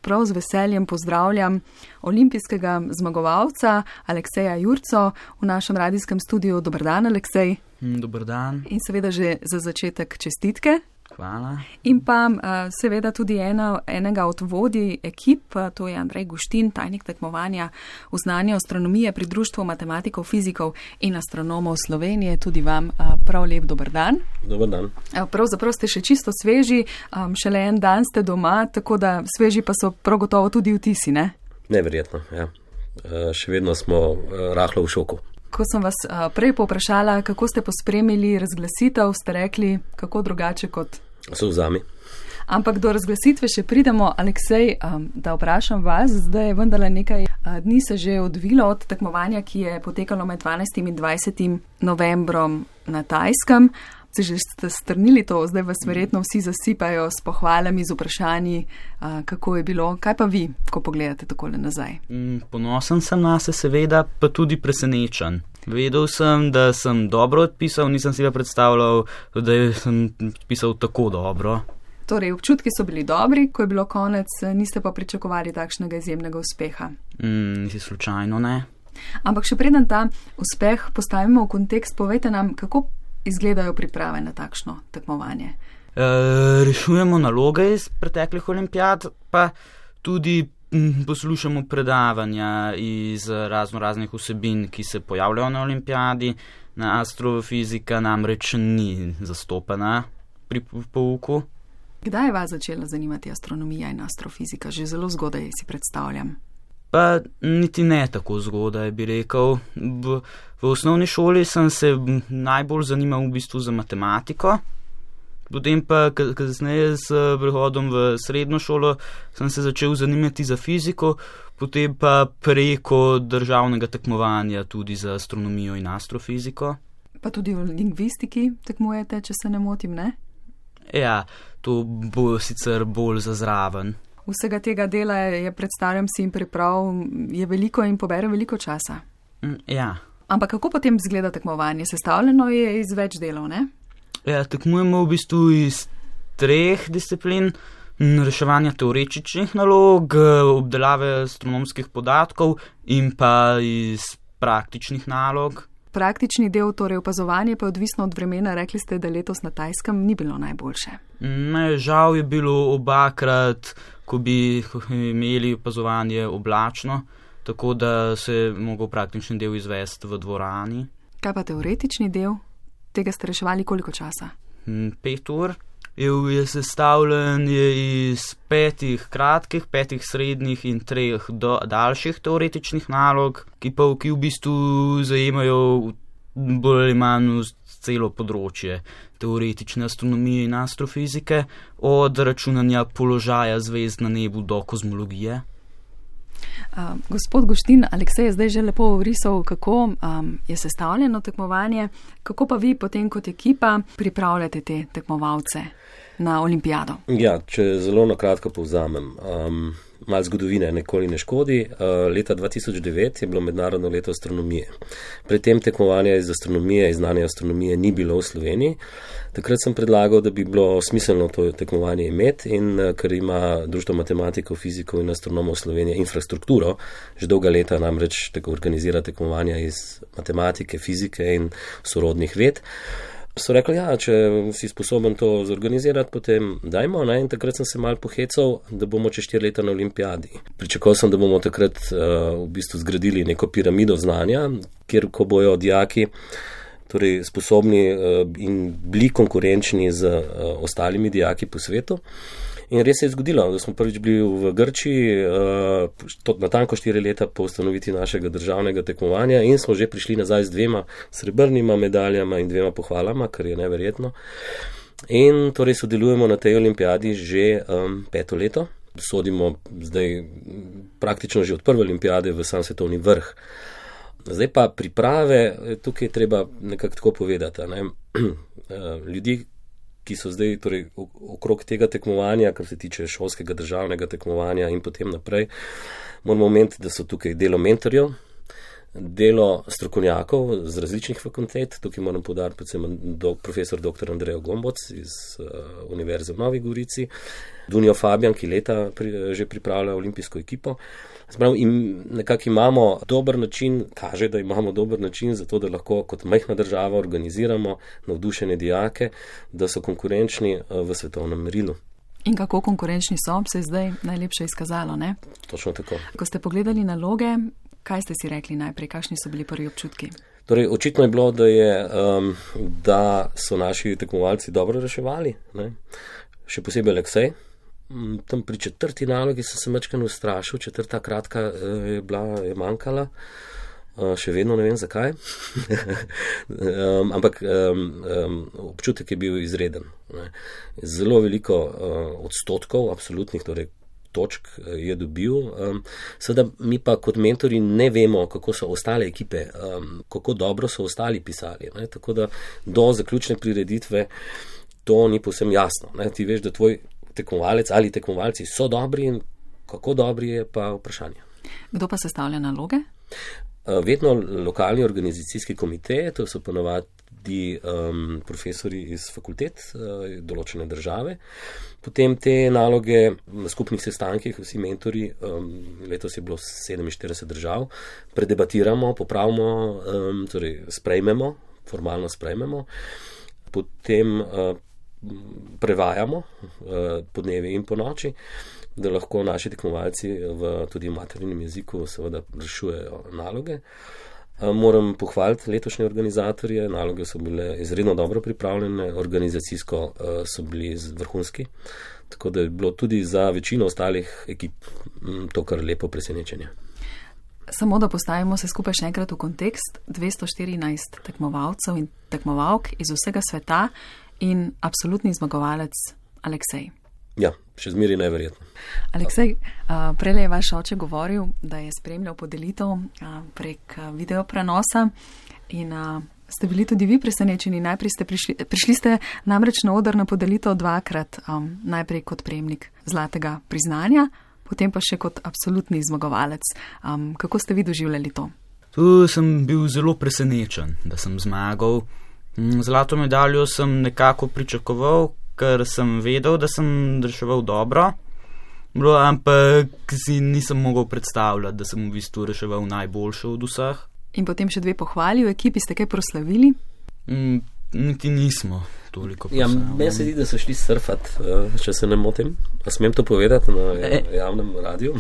prav z veseljem pozdravljam olimpijskega zmagovalca Alekseja Jurco v našem radijskem studiu. Dober dan, Aleksej. Dober dan. In seveda že za začetek čestitke. Hvala. In pa seveda tudi enega od vodij ekip, to je Andrej Guštin, tajnik tekmovanja v znanju astronomije pri Društvu matematikov, fizikov in astronomov Slovenije. Tudi vam prav lep dober dan. Dober dan. Pravzaprav ste še čisto sveži, šele en dan ste doma, tako da sveži pa so prav gotovo tudi vtisi, ne? Neverjetno, ja. Še vedno smo rahlo v šoku. Ko sem vas prej povprašala, kako ste pospremili razglasitev, ste rekli, kako drugače kot solzami. Ampak do razglasitve še pridemo. Aleksej, da vprašam vas, zdaj je vendarle nekaj dni se že odvilo od tekmovanja, ki je potekalo med 12. in 20. novembrom na Tajskem. Se že ste strnili to, zdaj vas verjetno vsi zasipajo s pohvalami, z vprašanji, kako je bilo. Kaj pa vi, ko pogledate takole nazaj? Ponosen sem na se, seveda, pa tudi presenečen. Vedel sem, da sem dobro odpisal, nisem si ga predstavljal, da sem odpisal tako dobro. Torej, občutki so bili dobri, ko je bilo konec, niste pa pričakovali takšnega izjemnega uspeha? Nisi slučajno, ne. Ampak še preden ta uspeh postavimo v kontekst, povejte nam, kako izgledajo priprave na takšno tekmovanje? Rešujemo naloge iz preteklih olimpijad, pa tudi poslušamo predavanja iz raznih vsebin, ki se pojavljajo na olimpijadi. Na astrofizika namreč ni zastopana pri pouku. Kdaj je vas začela zanimati astronomija in astrofizika? Že zelo zgodaj si predstavljam. Pa niti ne tako zgodaj, bi rekel. V osnovni šoli sem se najbolj zanimal v bistvu za matematiko, potem pa kasneje s prehodom v srednjo šolo sem se začel zanimati za fiziko, potem pa preko državnega tekmovanja tudi za astronomijo in astrofiziko. Pa tudi v lingvistiki tekmujete, če se ne motim, ne? Ja, to bo sicer bolj za zraven. Vsega tega dela je, predstavljam si, in priprav je veliko in pobere veliko časa. Ja. Ampak kako potem izgleda tekmovanje? Sestavljeno je iz več delov, ne? Ja, tekmujemo v bistvu iz 3 disciplin. Reševanja teoretičnih nalog, obdelave astronomskih podatkov in pa iz praktičnih nalog. Praktični del, torej opazovanje, pa je odvisno od vremena. Rekli ste, da letos na Tajskem ni bilo najboljše. Ne, žal je bilo obakrat, ko bi imeli opazovanje oblačno, tako da se je mogel praktični del izvesti v dvorani. Kaj pa teoretični del? Tega ste reševali koliko časa? 5 ur. Je sestavljen iz 5 kratkih, 5 srednjih in 3 daljših teoretičnih nalog, ki v bistvu zajemajo bolj ali manj celo področje teoretične astronomije in astrofizike, od računanja položaja zvezd na nebu do kozmologije. Gospod Guštin, Aleksej je zdaj že lepo vrisal, kako je sestavljeno tekmovanje, kako pa vi potem kot ekipa pripravljate te tekmovalce na olimpijado? Ja, če zelo na kratko povzamem. Malo zgodovine nikoli ne škodi. Leta 2009 je bilo mednarodno leto astronomije. Predtem tekmovanja iz astronomije, iz znanja astronomije ni bilo v Sloveniji. Takrat sem predlagal, da bi bilo smiselno to tekmovanje imeti, in ker ima Društvo matematikov, fizikov in astronomov Slovenije infrastrukturo, že dolga leta namreč organizira tekmovanja iz matematike, fizike in sorodnih ved, so rekli, ja, če si sposoben to zorganizirati, potem dajmo, ne? In takrat sem se malo pohecal, da bomo čez 4 leta na olimpijadi. Pričakoval sem, da bomo takrat v bistvu zgradili neko piramido znanja, kjer ko bojo dijaki torej sposobni in bili konkurenčni z ostalimi dijaki po svetu. In res se je zgodilo, da smo prvič bili v Grčiji, natanko 4 leta po ustanovitvi našega državnega tekmovanja, in smo že prišli nazaj z 2 srebrnima medaljama in 2 pohvalama, kar je neverjetno. In torej sodelujemo na tej olimpijadi že 5. leto. Sodimo zdaj praktično že od prve olimpijade v sam svetovni vrh. Zdaj pa priprave, tukaj je treba nekako tako povedati, ne? Ljudi, ki so zdaj torej okrog tega tekmovanja, kar se tiče šolskega državnega tekmovanja in potem naprej, moramo omeniti, da so tukaj delo mentorjev, delo strokovnjakov z različnih fakultet. Tukaj moram poudariti predvsem profesor dr. Andrejo Gomboc iz Univerze v Novi Gorici, Dunijo Fabijan, ki leta že pripravlja olimpijsko ekipo. In nekako imamo dober način, kaže, da imamo dober način za to, da lahko kot majhna država organiziramo navdušene dijake, da so konkurenčni v svetovnem merilu. In kako konkurenčni so, se je zdaj najlepše izkazalo, ne? Točno tako. Ko ste pogledali naloge, kaj ste si rekli najprej, kakšni so bili prvi občutki? Torej, očitno je bilo, da so naši tekmovalci dobro reševali, ne? Še posebej Aleksej. Tam pri 4. nalogi sem se majčkeno ustrašil, 4. kratka je manjkala, še vedno ne vem zakaj, ampak občutek je bil izreden. Ne? Zelo veliko odstotkov, absolutnih torej točk je dobil. Seveda mi pa kot mentori ne vemo, kako so ostale ekipe, kako dobro so ostali pisali. Ne? Tako da do zaključne prireditve to ni povsem jasno. Ne? Ti veš, da tvoj tekmovalec ali tekmovalci so dobri in kako dobri je pa vprašanje. Kdo pa sestavlja naloge? Vedno lokalni organizacijski komite, to so ponavadi profesori iz fakultet določene države. Potem te naloge na skupnih sestankih, vsi mentori, letos je bilo 47 držav, predebatiramo, popravimo, torej sprejmemo, formalno sprejmemo, potem prevajamo po dnevi in po noči, da lahko naši tekmovalci tudi v materinem jeziku seveda rešujejo naloge. Moram pohvaliti letošnje organizatorje, naloge so bile izredno dobro pripravljene, organizacijsko so bili vrhunski, tako da je bilo tudi za večino ostalih ekip to kar lepo presenečenje. Samo da postavimo se skupaj še enkrat v kontekst, 214 tekmovalcev in tekmovalk iz vsega sveta in absolutni zmagovalec Aleksej. Ja, še zmeri neverjetno. Aleksej, prejle je vaš oče govoril, da je spremljal podelitev prek videoprenosa in ste bili tudi vi presenečeni. Najprej ste prišli ste namreč na oder na podelitev dvakrat, najprej kot prejemnik zlatega priznanja, potem pa še kot absolutni zmagovalec. Kako ste vi doživljali to? Tu sem bil zelo presenečen, da sem zmagal. Zlato medaljo sem nekako pričakoval, ker sem vedel, da sem reševal dobro, ampak si nisem mogel predstavljati, da sem v bistvu reševal najboljše od vseh. In potem še 2 pohvali, v ekipi ste kaj proslavili? Niti nismo toliko proslavili. Ja, meni se zdi, da so šli surfat, če se ne motim. A smem to povedati na javnem radiju?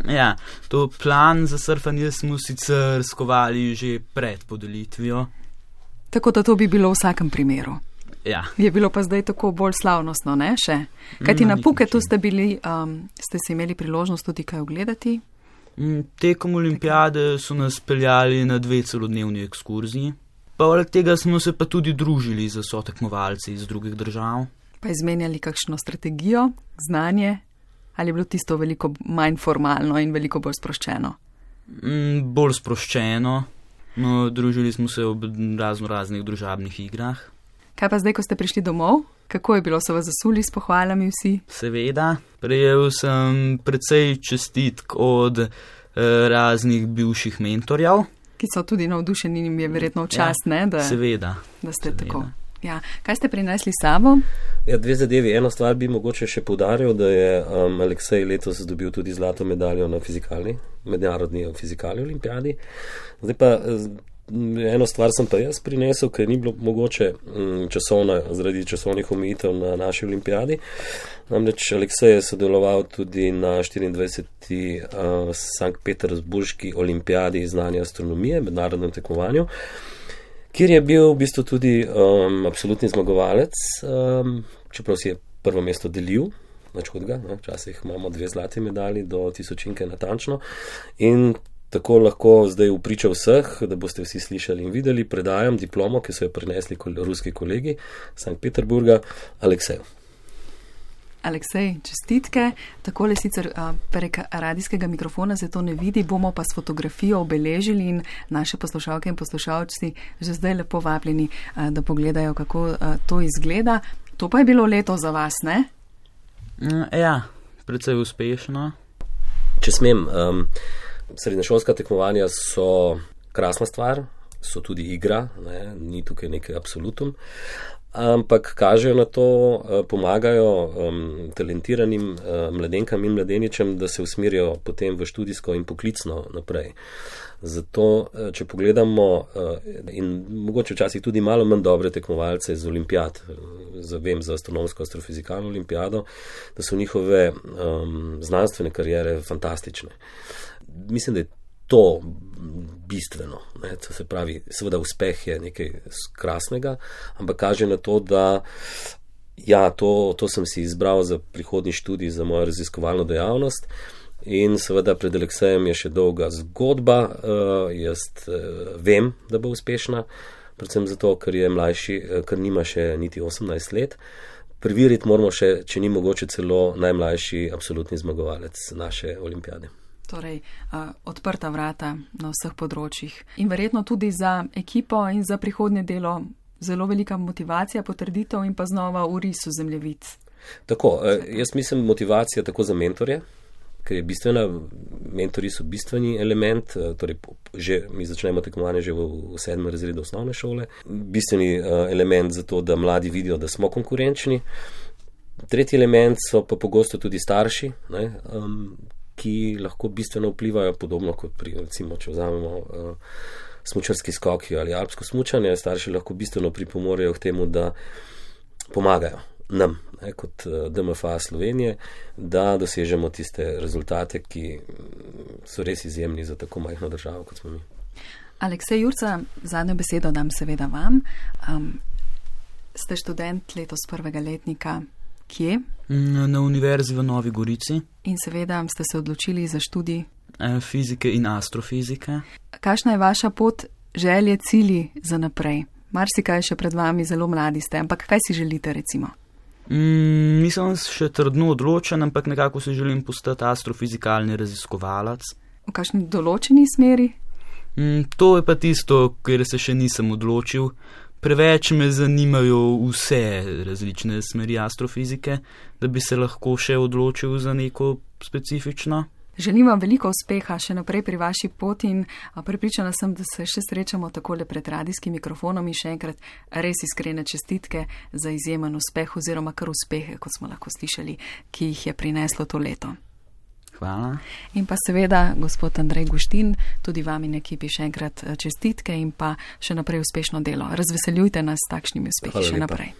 Ja, to plan za surfanje smo sicer skovali že pred podelitvijo. Tako da to bi bilo v vsakem primeru. Ja. Je bilo pa zdaj tako bolj slavnostno, ne, še? Kajti na Phuketu ste si imeli priložnost tudi kaj ogledati? Tekom olimpijade so nas peljali na 2 celodnevni ekskurziji. Poleg tega smo se pa tudi družili z sotekmovalci iz drugih držav. Pa izmenjali kakšno strategijo, znanje? Ali je bilo tisto veliko manj formalno in veliko bolj sproščeno? Bolj sproščeno. No, družili smo se ob raznih družabnih igrah. Kaj pa zdaj, ko ste prišli domov? Kako je bilo, so vas zasuli s pohvalami vsi? Seveda, prejel sem precej čestitk od raznih bivših mentorjev. Ki so tudi navdušeni in jim je verjetno včasih, ja, da ste seveda. tako. Ja. Kaj ste prinesli s sabo? Ja, 2 zadevi. Eno stvar bi mogoče še poudaril, da je Aleksej letos dobil tudi zlato medaljo na mednarodni fizikali olimpijadi. Zdaj pa eno stvar sem pa jaz prinesel, ker ni bilo mogoče zaradi časovnih omejitev na naši olimpijadi. Namreč Aleksej je sodeloval tudi na 24. Sankt Peterburški olimpijadi znanja astronomije, mednarodnem tekmovanju, kjer je bil v bistvu tudi absolutni zmagovalec, čeprav si je prvo mesto delil, nič hudega, včasih imamo 2 zlati medalji do tisočinke natančno in tako lahko zdaj v priča vseh, da boste vsi slišali in videli, predajam diplomo, ki so jo prinesli ruski kolegi Sankt Peterburga, Alekseju. Aleksej, čestitke. Takole sicer prek radijskega mikrofona se to ne vidi, bomo pa s fotografijo obeležili in naše poslušalke in poslušalci že zdaj lepo vabljeni, da pogledajo, kako to izgleda. To pa je bilo leto za vas, ne? Ja, precej uspešno. Če smem, srednješolska tekmovanja so krasna stvar, so tudi igra, ne, ni tukaj nekaj absolutum, ampak kažejo na to, pomagajo talentiranim mladenkam in mladeničem, da se usmerijo potem v študijsko in poklicno naprej. Zato, če pogledamo in mogoče včasih tudi malo manj dobre tekmovalce z olimpijad, vem za astronomsko astrofizikalno olimpijado, da so njihove znanstvene karijere fantastične. Mislim, da je to bistveno. Ne? To se pravi, seveda uspeh je nekaj krasnega, ampak kaže na to, da ja, to sem si izbral za prihodnji študij, za mojo raziskovalno dejavnost. In seveda pred Aleksejem je še dolga zgodba, jaz vem, da bo uspešna, predvsem zato, ker je mlajši, ker nima še niti 18 let. Preveriti moramo še, če ni mogoče celo najmlajši absolutni zmagovalec naše olimpijade. Torej, odprta vrata na vseh področjih. In verjetno tudi za ekipo in za prihodnje delo zelo velika motivacija, potrditev in pa znova vris v zemljevid. Tako, jaz mislim motivacija tako za mentorje, ker je bistvena, mentori so bistveni element, torej mi začnemo tekmovanje že v 7. razredu osnovne šole, bistveni element za to, da mladi vidijo, da smo konkurenčni. Tretji element so pa pogosto tudi starši, ne, ki lahko bistveno vplivajo, podobno kot pri, recimo, če vzamemo smučarski skoki ali alpsko smučanje, starši lahko bistveno pripomorejo k temu, da pomagajo nam, ne, kot DMFA Slovenije, da dosežemo tiste rezultate, ki so res izjemni za tako majhno državo, kot smo mi. Aleksej Jurca, zadnjo besedo dam seveda vam. Ste študent letos prvega letnika. Kje? Na Univerzi v Novi Gorici. In seveda ste se odločili za študij fizike in astrofizike. Kakšna je vaša pot, želje, cilji za naprej? Marsikaj še pred vami, zelo mladi ste, ampak kaj si želite recimo? Nisem še trdno odločen, ampak nekako se želim postati astrofizikalni raziskovalec. V kakšni določeni smeri? To je pa tisto, kjer se še nisem odločil. Preveč me zanimajo vse različne smeri astrofizike, da bi se lahko še odločil za neko specifično. Želim vam veliko uspeha še naprej pri vaši poti in prepričana sem, da se še srečamo takole pred radijskim mikrofonom in še enkrat res iskrene čestitke za izjemen uspeh oziroma kar uspehe, kot smo lahko slišali, ki jih je prineslo to leto. Hvala. In pa seveda, gospod Andrej Guštin, tudi vam in ekipi še enkrat čestitke in pa še naprej uspešno delo. Razveseljujte nas s takšnimi uspehi še naprej.